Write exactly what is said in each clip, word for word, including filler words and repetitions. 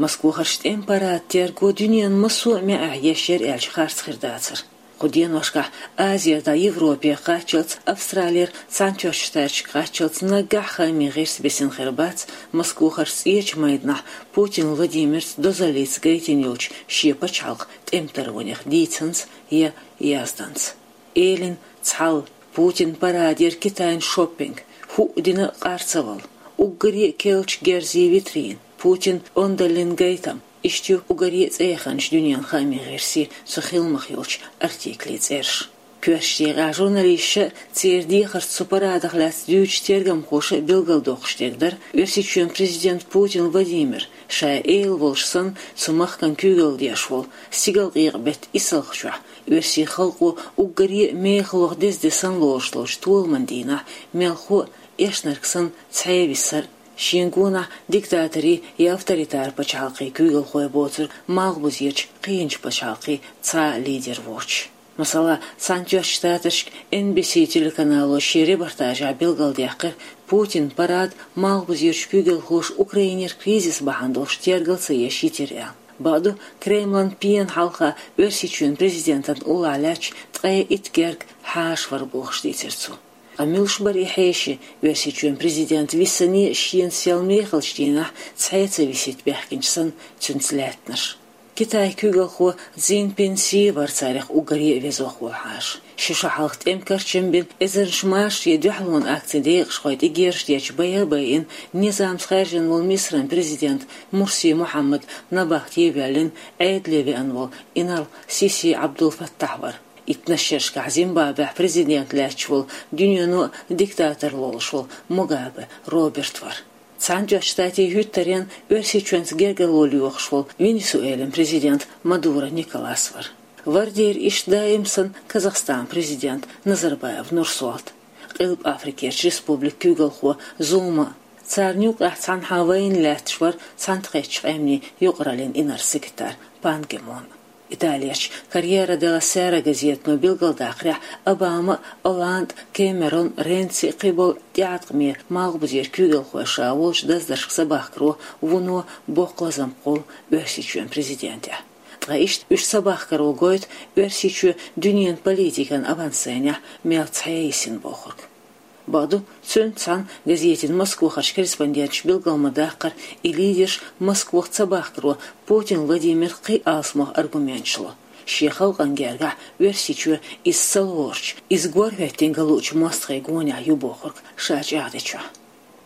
Москвахарчу тӀеман парадана терго дуьненан массо а маьӀӀехь еш яра аьлча харц хир дацара. Кху деношкахь Азера дӀа Европе кхаччалц, Австралера Цхьаьнатоьхначу Штаташка кхаччалц наггахь хаамийн гӀирс бисина хир бац Москвахарчу ЦӀечу майданахь Путин Владимирца дозаллица гайтина йолчу шен пачхьалкхан тӀеман таронех дийцинца я язданца. Элина цхьалла, Путинан парадера Китайн шоппинг, хӀуъа дина къарцавалла, уггаре а керлачу герзийн витрина, Путинан ондаллин гайтам, иштта ю уггаре а цӀеяханчу дуьненан хаамийн гӀирсийн цу хиламах йолчу артиклийн цӀераш. Коьртачу декъехь журналисташа церан дехарца цу парадах лаьцна дуьйцучу тергамхоша билгалдоккхуш дерг дара Оьрсийчоьнан президент Путин Владимир, ша а эла волуш санна, цу махкана куьйгалла деш волу, стигалкъекъа-беттан исалгӀачохь оьрсийн халкъо уггаре а мехаллех деза де санна лоруш долчу толаман дийнахь мелхо а, эшнарг санна, цхьаьна висар а, шен гонахь диктаторийн я авторитар пачхьалкхийн куьйгалхой боцург малхбузерчу кхечу пачхьалкхийн цхьа а лидер воцуш. Масала, Цхьаьнатоьхначу Штаташкара Эн Би Си телеканало шен репортажехь билгалдаьккхира, Путинан парад малхбузерчу куьйгалхоша Украинера кризис бахьана долуш тергал ца еш йитира аьлла. Бакъду, Кремлан пенан хьалха Оьрсийчоьнан президентан уллохь лаьтташ ткъе итт герга хьаша вара бохуш дийцира цо. Ткъа муьлш бара и хьеший, Оьрсийчоьнан президент висане а шена сел мехалчу дийнахь цхьаьна ца висийта баьхкинчу санна цуьнца лаьттинарш? Китайн куьйгалхо Цзиньпин Си вара царах уггаре а везох волу хьаша. Ши шо хьалха тӀеман карчам бина, эзарнаш машарийн дуьхьалонан акцийн декъашхой тӀе герзаш дечу байа а байина, низамца хаьржина волу Мисран президент Мурси Мухьаммад набахте а воьллина, Ӏедале веана волу инарла Сиси Ӏабдул-Фаттахь вара. Иттаннаш шерашкахь Зимбабвехь президент лаьтташ волу, дуьнено а диктатор лолуш волу Мугабе Роберт вара. Цхьаьнатоьхначу Штатийн хӀуьттаренна Оьрсийчоьнца гергарло лоьхуш волу Венесуэлин президент Мадуро Николас вара. Вара дера иштта даим санна Казахстанан президент Назарбаев Нурсултан, Къилба Африкерчу республикан куьйгалхо Зума, царна юкъахь цхьанхьа вайна лаьтташ вара Цхьаьнатоьхначу Къаьмнийн юкъараллин инарла секретарь Пан Ги Мун. Италерчу Корьере делла Сера газетано билгалдаккхарехь, Обама, Олланд, Кэмерон, Ренци, кхин болу тӀеӀаткъаме малхбузера куьйгалхой ша волчу даздаршка сабахкаро вуно боккха лазам кхоллу Оьрсийчоьнан президентехь. Ткъа иштта уьш сабахкаро гойту Оьрсийчоь дуьненан политикан авансценехь мел цхьаьна йисина бохург. Бакъду, цуьнца цхьаьна газетан Москвахарчу корреспонденташа билгал ма-даккхара, и лидерш Москвах ца бахкаро Путин Владимира кхин а алсамох аргументаш ло. Шен халкъана гергахь Оьрсийчоь иза ца лоручу, иза горхӀоьттина ган луучу мостагӀийн гонехь ю бохург ша чӀагӀдечохь.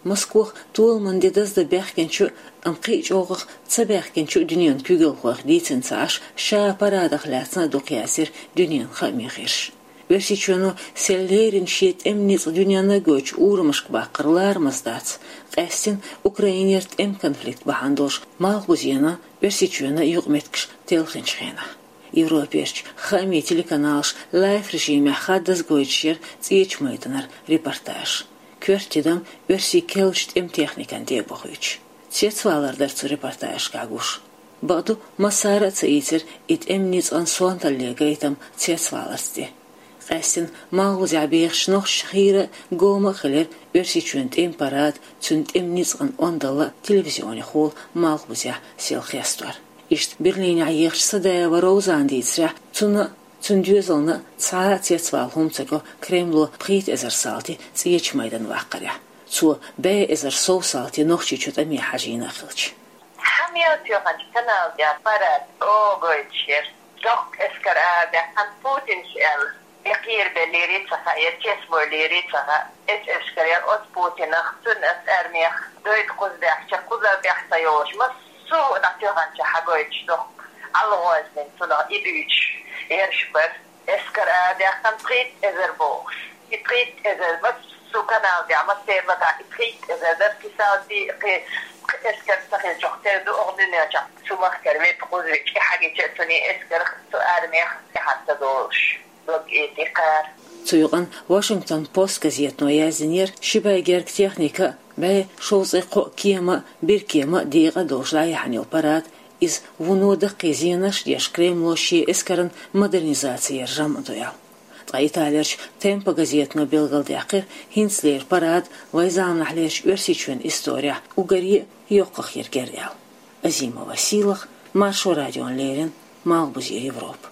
Москвах толаман де даздан баьхкинчу, амма кхин а чӀогӀах ца баьхкинчу дуьненан куьйгалхойх дийцина ца Ӏаш, ша парадах лаьцна а дукха яздира дуьненан хаамийн гӀирсаша. Оьрсийчоьно сел леррина шен тӀеман ницкъ дуьненна гойтучу урамашка баккхар ларамаза дац, къаьстина Украинера тӀеман конфликт бахьана долуш Малхбузенан, Оьрсийчоьнан юкъаметтигаш телхинчу хенахь. Европерчу хаамийн телеканалаша лайв-режимехь хаддаза гойтуш яра ЦӀечу майданара репортаж. Коьрта тидам оьрсийн керлачу тӀеман техникана тӀе а бохуьйтуш. Цецвалар дара цу репортажашкахь гуш. Бакъду, массара а ца ийцира и тӀеман ницкъан сонталле гайтам цецваларца тӀе. Къаьстина Малхбузехь бехачу нохчашна хийра а, гома а хилира Оьрсийчоьнан тӀеман парад, цуьнан тӀеман ницкъан ондалла телевизионехула Малхбузехь сел хестор. Иштта Берлинехь ехачу Садаева Розана дийцарехь, цунна а, цуьнан доьзална а цхьа а цецвала хӀума ца го Кремло пхийтта эзар салти ЦӀечу майдана ваккхарехь, цо бӀе эзар сов салти Нохчийчу тӀаме хьажийна а хилча. Хьан мел тоьханчу канал тӀехь парад чӀогӀа гойтуш яра. Доккха эскар арадаьккхина Путинс аьлла. Я кхерабеллера ца хаьа, я цецбойла ца хаьа. Эс эскар яра оцу Путинах, цуьнан оцу армех, дойта кхуза баьхча, кхуза баьхча йолуш, массо а дӀатоьхначохь хьагойтуш доккха ӀалагӀознина цунах и дуьйцуш ерш бара. Эскар арадаьккхина пхийтта эзар бохуш. И пхийтта эзар массо а канал тӀехь, массеран маттахь и пхийтта эзар дара, кхин салти, кхин, кхин эскар ца хилча, тера ду оха дуьнен чохь. Цу махкара ветта кхуза вича, и хьагича цуьнан эскарх, цу армех тӀаьхьа ца долуш. Дог эти кхара. Цу юкъана Вашингтон Пост газетано яздинера, ши бӀе гергга техника а, бӀе шовзткъе кхоъ кема а, биркема а, декъа а долуш дӀаяьхьна йолу парад, иза вуно даккхий зенаш а деш, Кремло шен эскаран модернизаци яран жамӀ ду аьлла. Ткъа Италерчу Темпо газетано билгалдаьккхира, хӀинцалера парад вайн заманахьлерчу Оьрсийчоьнан исторехь уггаре а йоккхах ерг яра аьлла. Азимова Силах, Маршо радион леррина, Малхбузера Европа.